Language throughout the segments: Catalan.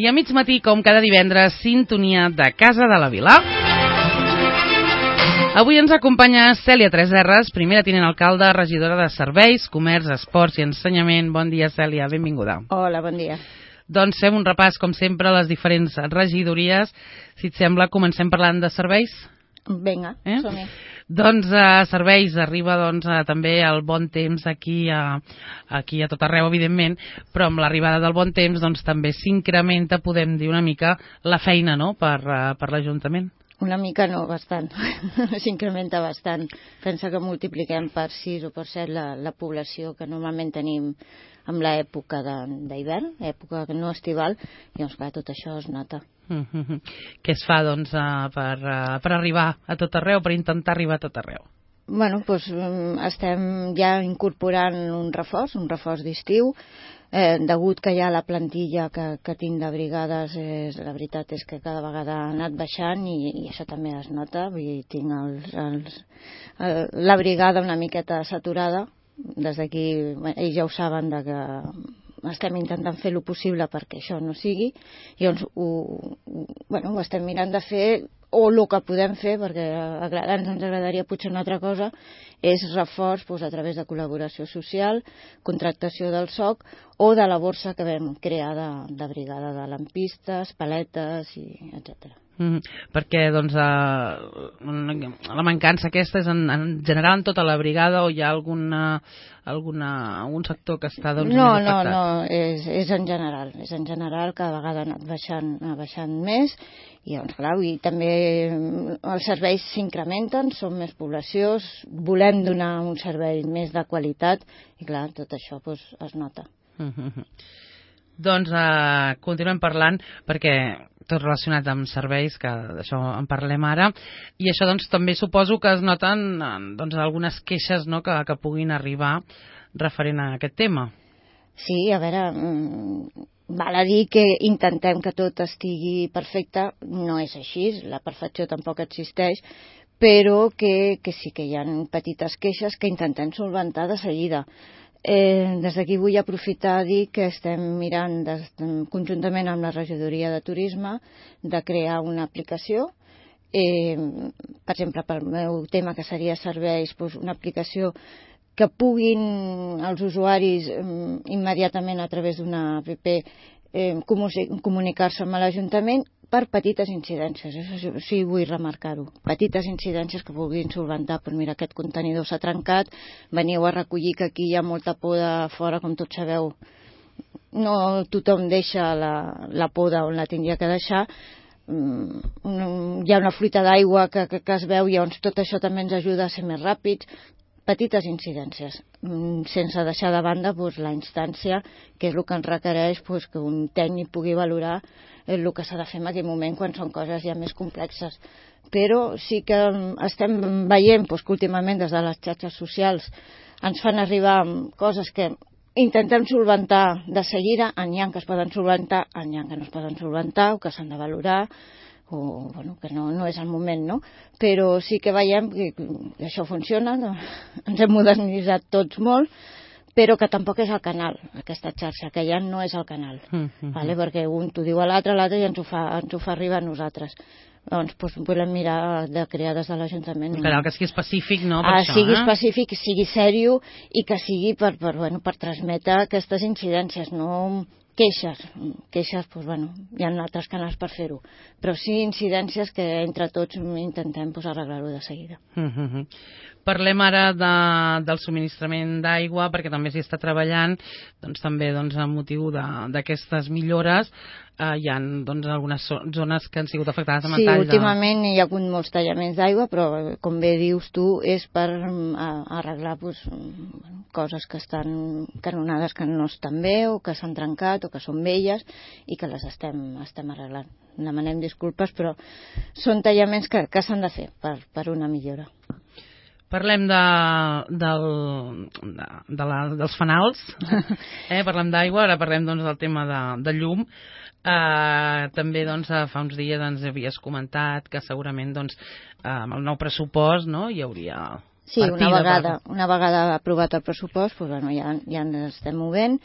I a mig matí, com cada divendres, sintonia de Casa de la Vila. Avui ens acompanya Cèlia Tresserras, primera tinent alcalde, regidora de Serveis, Comerç, Esports i Ensenyament. Bon dia, Cèlia, benvinguda. Hola, bon dia. Doncs fem un repàs, com sempre, a les diferents regidories. Si et sembla, comencem parlant de serveis? Vinga, som-hi. Doncs a Serveis arriba també el bon temps aquí a tot arreu, evidentment, però amb l'arribada del bon temps també s'incrementa, podem dir una mica, la feina, no?, per l'Ajuntament. Una mica no, bastant. S'incrementa bastant. Pensa que multipliquem per 6 o per 7 la població que normalment tenim en l'època d'hivern, època no estival, i doncs clar, tot això es nota. Què es fa per arribar a tot arreu, per intentar arribar a tot arreu? Bueno, doncs estem ja incorporant un reforç d'estiu, degut que ja la plantilla que tinc de brigades, la veritat és que cada vegada ha anat baixant i això també es nota. Vull dir, tinc la brigada una miqueta saturada. Des d'aquí ells ja ho saben que estem intentant fer el possible perquè això no sigui, i doncs ho estem mirant de fer, o el que podem fer, perquè ens agradaria potser una altra cosa, és reforç a través de col·laboració social, contractació del SOC o de la borsa que vam crear de brigada de lampistes, paletes, etc. Perquè la mancança aquesta és en general en tota la brigada, o hi ha algun sector que està més afectat? No, és en general, cada vegada ha anat baixant més, i doncs clar, també els serveis s'incrementen, som més població, volem donar un servei més de qualitat, i clar, tot això es nota. Doncs continuem parlant, perquè tot relacionat amb serveis, que d'això en parlem ara, i això també suposo que es noten algunes queixes, no?, que puguin arribar referent a aquest tema. Sí, a veure, val a dir que intentem que tot estigui perfecte, no és així, la perfecció tampoc existeix, però que sí que hi ha petites queixes que intentem solventar de seguida. Des d'aquí vull aprofitar a dir que estem mirant conjuntament amb la regidoria de turisme de crear una aplicació, per exemple pel meu tema que seria serveis, una aplicació que puguin els usuaris immediatament a través d'una app comunicar-se amb l'Ajuntament per petites incidències, això sí vull remarcar-ho, petites incidències que vulguin solventar. Però mira, aquest contenidor s'ha trencat, veniu a recollir que aquí hi ha molta poda fora, com tots sabeu, no tothom deixa la poda on la tindria que deixar, hi ha una fuita d'aigua que es veu, i llavors tot això també ens ajuda a ser més ràpids. Petites incidències, sense deixar de banda la instància, que és el que ens requereix que un tècnic pugui valorar el que s'ha de fer en aquell moment quan són coses ja més complexes. Però sí que estem veient que últimament des de les xarxes socials ens fan arribar coses que intentem solventar de seguida, n'hi ha que es poden solventar, n'hi ha que no es poden solventar o que s'han de valorar, o que no és el moment, no? Però sí que veiem que això funciona, ens hem modernitzat tots molt, però que tampoc és el canal, aquesta xarxa, que ja no és el canal, perquè un t'ho diu a l'altre i ens ho fa arribar a nosaltres. Doncs volem mirar de crear des de l'Ajuntament. Clar, que sigui específic, no? Sigui específic, sigui sèrio, i que sigui per transmetre aquestes incidències, no queixes, hi ha altres canals per fer-ho, però sí incidències que entre tots intentem arreglar-ho de seguida. Parlem ara del subministrament d'aigua, perquè també s'hi està treballant, també amb motiu d'aquestes millores. Hi ha algunes zones que han sigut afectades amb Sí, últimament hi ha hagut molts tallaments d'aigua, però com bé dius tu, és per arreglar coses que estan canonades que no estan bé, o que s'han trencat, o que són velles, i que les estem arreglant. Demanem disculpes, però són tallaments que s'han de fer per una millora. Parlem dels fanals, parlem d'aigua, ara parlem del tema de llum. També fa uns dies ens havies comentat que segurament amb el nou pressupost hi hauria Sí, una vegada aprovat el pressupost, ja ens estem movent,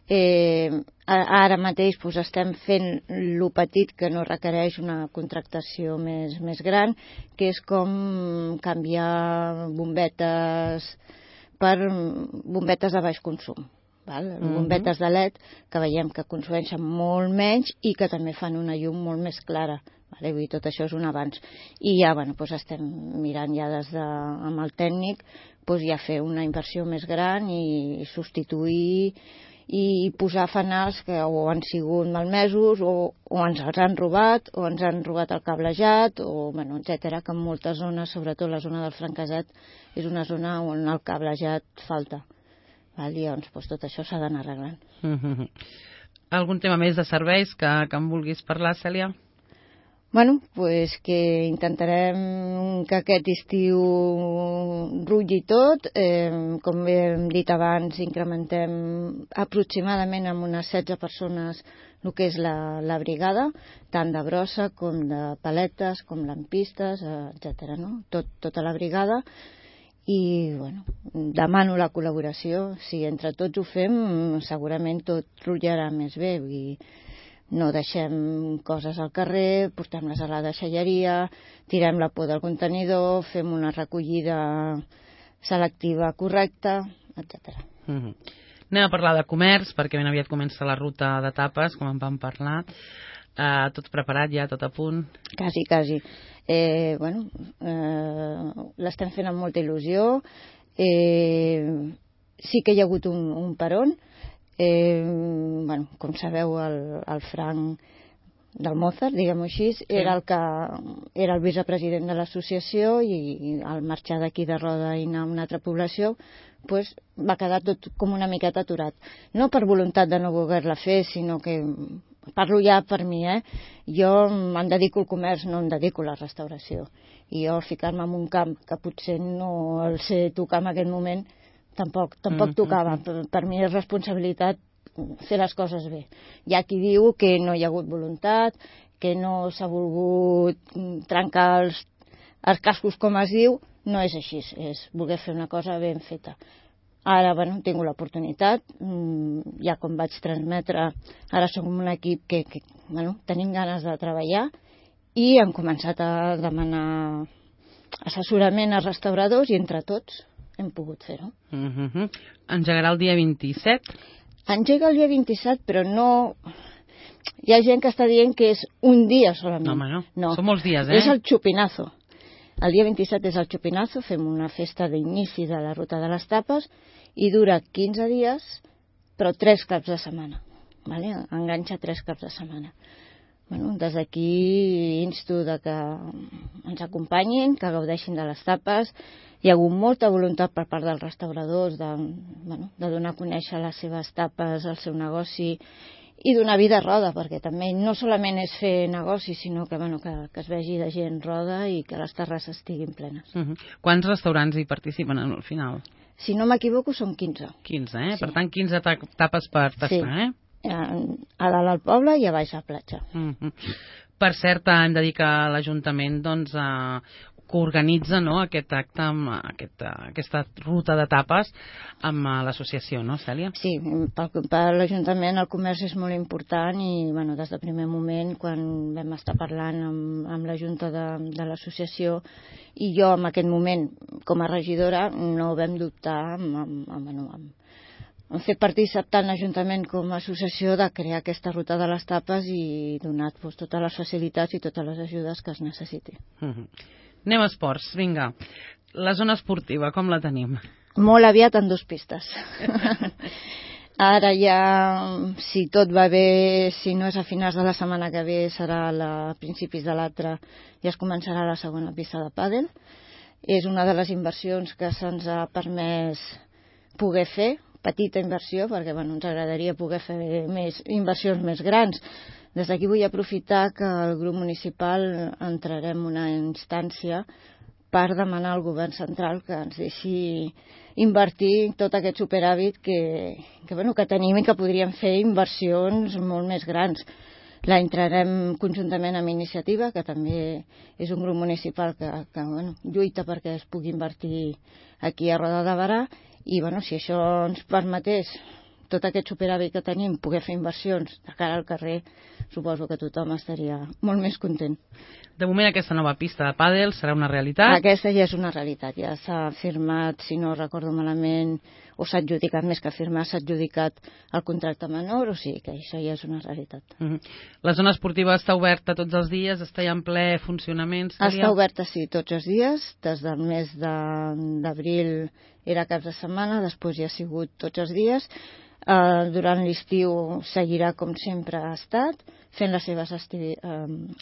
Ara mateix doncs, estem fent lo petit que no requereix una contractació més gran, que és com canviar bombetes per bombetes de baix consum. Bombetes de LED que veiem que consumeixen molt menys i que també fan una llum molt més clara. Vull dir, tot això és un avanç. I ja doncs estem mirant ja amb el tècnic ja fer una inversió més gran i substituir i posar fanals que o han sigut malmesos o ens els han robat o ens han robat el cablejat o etcètera, que en moltes zones, sobretot la zona del Franquesat, és una zona on el cablejat falta. I llavors tot això s'ha d'anar arreglant. Algun tema més de serveis que em vulguis parlar, Cèlia? Que intentarem que aquest estiu rutlli tot. Com hem dit abans, incrementem aproximadament amb unes 16 persones el que és la brigada, tant de brossa com de paletes, com lampistes, etc. Tota la brigada. I demano la col·laboració. Si entre tots ho fem, segurament tot rutllarà més bé. No deixem coses al carrer, portem-les a la deixalleria, tirem la por del contenidor, fem una recollida selectiva correcta, etc. Anem a parlar de comerç, perquè ben aviat comença la ruta de tapes, com en vam parlar. Tot preparat ja, tot a punt? Quasi. L'estem fent amb molta il·lusió. Sí que hi ha hagut un peron. Com sabeu, el Frank del Mozart, diguem-ho així, era el vicepresident de l'associació i al marxar d'aquí de Roda i anar a una altra població va quedar tot com una miqueta aturat. No per voluntat de no voler-la fer, sinó que parlo ja per mi, jo em dedico al comerç, no em dedico a la restauració. I jo ficar-me en un camp que potser no el sé tocar en aquest moment tampoc tocava. Per mi és responsabilitat fer les coses bé. Hi ha qui diu que no hi ha hagut voluntat, que no s'ha volgut trencar els cascos, com es diu. No és així, és voler fer una cosa ben feta. Ara, he tingut l'oportunitat, ja com vaig transmetre, ara som un equip que tenim ganes de treballar i hem començat a demanar assessorament als restauradors i entre tots hem pogut fer-ho. Engegarà el dia 27? Engega el dia 27, però no... Hi ha gent que està dient que és un dia solament. No, són molts dies, És el xupinazo. El dia 27 és el xupinazo, fem una festa d'inici de la ruta de les tapes i dura 15 dies, però 3 caps de setmana. Enganxa 3 caps de setmana. Des d'aquí insto que ens acompanyin, que gaudeixin de les tapes. Hi ha hagut molta voluntat per part dels restauradors de donar a conèixer les seves tapes, el seu negoci i donar vida a Roda, perquè també no solament és fer negoci, sinó que es vegi de gent Roda i que les terrasses estiguin plenes. Quants restaurants hi participen al final? Si no m'equivoco, són 15. 15, Per tant, 15 tapes per tastar, A dalt al poble i a baix a la platja. Per cert, hem de dir que l'Ajuntament que organitza aquest acte, aquesta ruta de tapes amb l'associació, no, Cèlia? Sí, per l'Ajuntament el comerç és molt important i des del primer moment, quan vam estar parlant amb la Junta de l'associació i jo en aquest moment com a regidora no vam dubtar hem fet partícip tant l'Ajuntament com l'Associació de crear aquesta ruta de les tapes i donar totes les facilitats i totes les ajudes que es necessiti. Anem a esports, vinga. La zona esportiva, com la tenim? Molt aviat en 2 pistes. Ara ja, si tot va bé, si no és a finals de la setmana que ve, serà a principis de l'altra, ja es començarà la segona pista de pàdel. És una de les inversions que se'ns ha permès poder fer, petita inversió, perquè ens agradaria poder fer inversions més grans. Des d'aquí vull aprofitar que el grup municipal entrarem una instància per demanar al govern central que ens deixi invertir tot aquest superàvit que tenim i que podríem fer inversions molt més grans. La entrarem conjuntament amb Iniciativa, que també és un grup municipal que lluita perquè es pugui invertir aquí a Roda de Barà, i si això ens permetés tot aquest superàvit que tenim, poder fer inversions de cara al carrer, suposo que tothom estaria molt més content. De moment aquesta nova pista de pàdel serà una realitat? Aquesta ja és una realitat, ja s'ha firmat, si no recordo malament, o s'ha adjudicat, més que firmar, s'ha adjudicat el contracte menor, o sigui que això ja és una realitat. La zona esportiva està oberta tots els dies, està ja en ple funcionament? Està oberta, sí, tots els dies, des del mes d'abril era caps de setmana, després ja ha sigut tots els dies. Durant l'estiu seguirà com sempre ha estat, fent les seves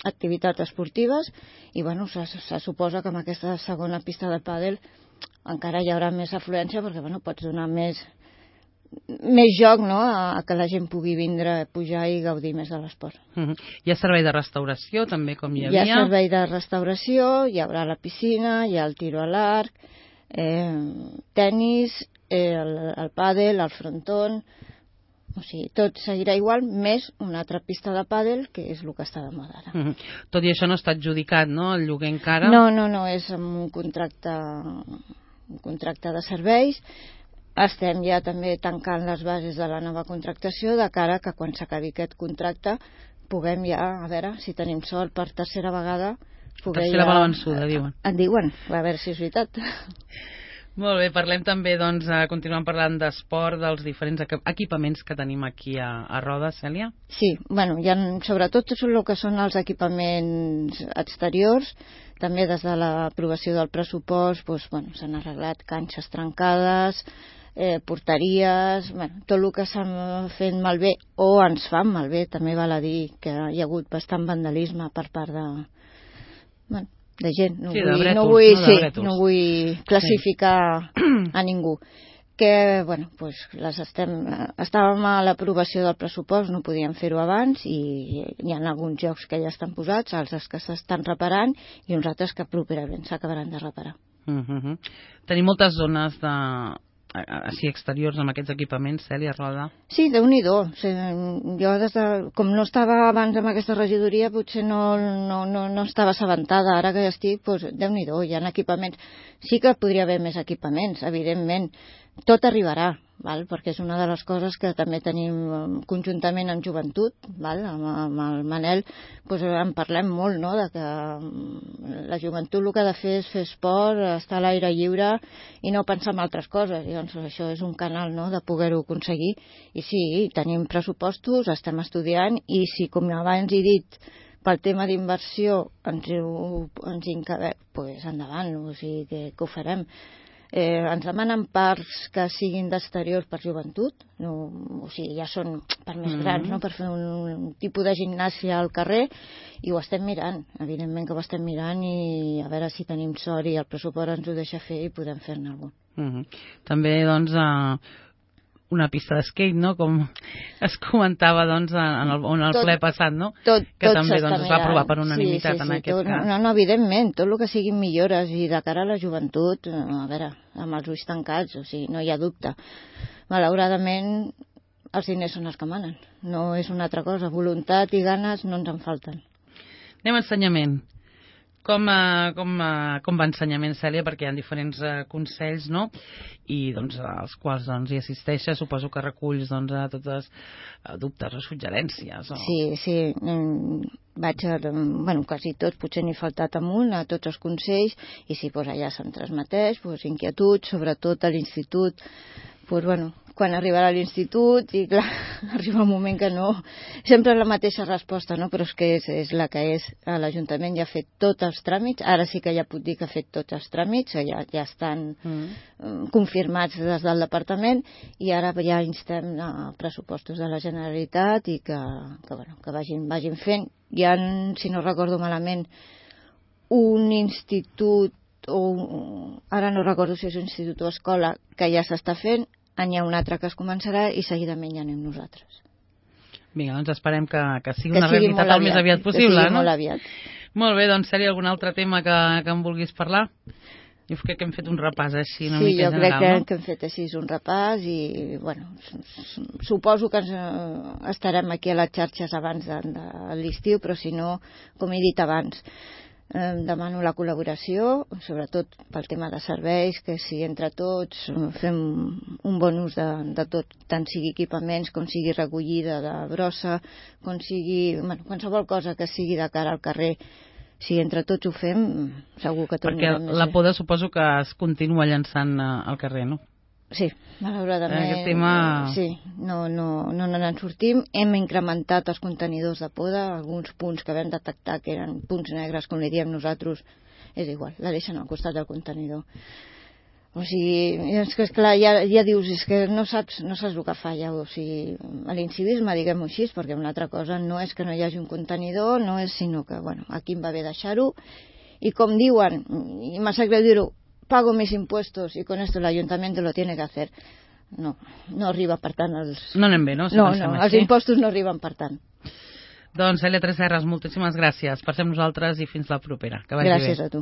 activitats esportives i bueno, se suposa que amb aquesta segona pista de pàdel encara hi haurà més afluència perquè bueno, pots donar més joc, no?, a que la gent pugui vindre, pujar i gaudir més de l'esport. Hi ha servei de restauració també, com hi havia? Hi ha servei de restauració, hi haurà la piscina, hi ha el tiro a l'arc, tenis, el pàdel, el frontón, o sigui, tot seguirà igual, més una altra pista de pàdel, que és el que està de moda ara. Tot i això no està adjudicat, no?, el lloguer encara? No, és amb un contracte de serveis. Estem ja també tancant les bases de la nova contractació, de cara que quan s'acabi aquest contracte puguem ja, a veure si tenim sort per tercera vegada. Tercera va la vençuda, diuen. En diuen, a veure si és veritat. Molt bé, parlem també, doncs, continuem parlant d'esport, dels diferents equipaments que tenim aquí a Roda, Cèlia. Sí, bueno, sobretot tot el que són els equipaments exteriors, també des de l'aprovació del pressupost, doncs, bueno, s'han arreglat canxes trencades, porteries, bueno, tot el que s'ha fet malbé o ens fan malbé, també val a dir que hi ha hagut bastant vandalisme per part de gent, no vull classificar a ningú, que bueno, pues estàvem a l'aprovació del pressupost, no podíem fer-ho abans i hi ha alguns jocs que ja estan posats, altres que s'estan reparant i uns altres que properament s'acabaran de reparar. Tenim moltes zones així exteriors amb aquests equipaments, Cèlia, Roda? Sí, Déu-n'hi-do. Jo, com no estava abans amb aquesta regidoria, potser no estava assabentada. Ara que ja estic, doncs, Déu-n'hi-do, hi ha equipaments. Sí que podria haver més equipaments, evidentment. Tot arribarà, perquè és una de les coses que també tenim conjuntament amb joventut, amb el Manel, doncs en parlem molt, no?, de que la joventut el que ha de fer és fer esport, estar a l'aire lliure i no pensar en altres coses. I doncs això és un canal, no?, de poder-ho aconseguir. I sí, tenim pressupostos, estem estudiant i si, com abans he dit, pel tema d'inversió ens encabem, doncs endavant, o sigui que ho farem. Ens demanen parcs que siguin d'exteriors per joventut, o sigui, ja són per més grans, no?, per fer un tipus de gimnàsia al carrer, i ho estem mirant, evidentment que ho estem mirant, i a veure si tenim sort i el pressupost ens ho deixa fer i podem fer-ne algun. També, doncs, una pista d'esquate, no?, com es comentava, doncs, en el ple passat, no?, que també es va aprovar per unanimitat en aquest cas. No, evidentment, tot el que siguin millores i de cara a la joventut, a veure, amb els ulls tancats, o sigui, no hi ha dubte. Malauradament, els diners són els que manen, no és una altra cosa, voluntat i ganes no ens en falten. Anem a ensenyament. Com va ensenyament, Cèlia? Perquè hi ha diferents consells, no?, i doncs als quals hi assisteixes, suposo que reculls tots els dubtes o suggerències. Sí, vaig quasi tots, potser n'he faltat amunt a tots els consells, i sí, allà se'm transmeteix inquietuds, sobretot a l'institut, quan arribarà a l'institut, i clar, arriba un moment que no, sempre la mateixa resposta, no? Però és que és la que és. L'Ajuntament ja ha fet tots els tràmits, ara sí que ja puc dir que ha fet tots els tràmits, ja estan confirmats des del departament, i ara ja instem a pressupostos de la Generalitat i que vagin fent. Hi ha, si no recordo malament, un institut, ara no recordo si és un institut o escola, que ja s'està fent, n'hi ha un altre que es començarà i seguidament ja anem nosaltres. Vinga, doncs esperem que sigui una realitat el més aviat possible, no? Molt aviat. Molt bé, doncs, Cèlia, algun altre tema que em vulguis parlar? Jo crec que hem fet un repàs així una mica general, no? Sí, jo crec que hem fet així un repàs i, suposo que estarem aquí a les xarxes abans de l'estiu, però si no, com he dit abans, demano la col·laboració, sobretot pel tema de serveis, que si entre tots fem un bon ús de tot, tant sigui equipaments com sigui recollida de brossa, com sigui qualsevol cosa que sigui de cara al carrer, si entre tots ho fem, segur que tot anirà més bé. Perquè la poda suposo que es continua llançant al carrer, no? Sí, malauradament. Aquest tema... Sí, no n'en sortim. Hem incrementat els contenidors de poda, alguns punts que vam detectar que eren punts negres, com li diem nosaltres, és igual, la deixen al costat del contenidor. O sigui, és que esclar, ja dius, és que no saps el que fa ja, o sigui, l'incivisme, diguem-ho així, perquè una altra cosa no és que no hi hagi un contenidor, no és, sinó que, bueno, aquí em va bé deixar-ho, i com diuen, i m'ha sap greu dir-ho, pago mis impuestos y con esto el ayuntamiento lo tiene que hacer. No arriba per tant els... No anem bé, no? Si els impostos no arriben per tant. Doncs Cèlia Tresserras, moltíssimes gràcies. Passem nosaltres i fins la propera. Que vagi bé. Gràcies a tu.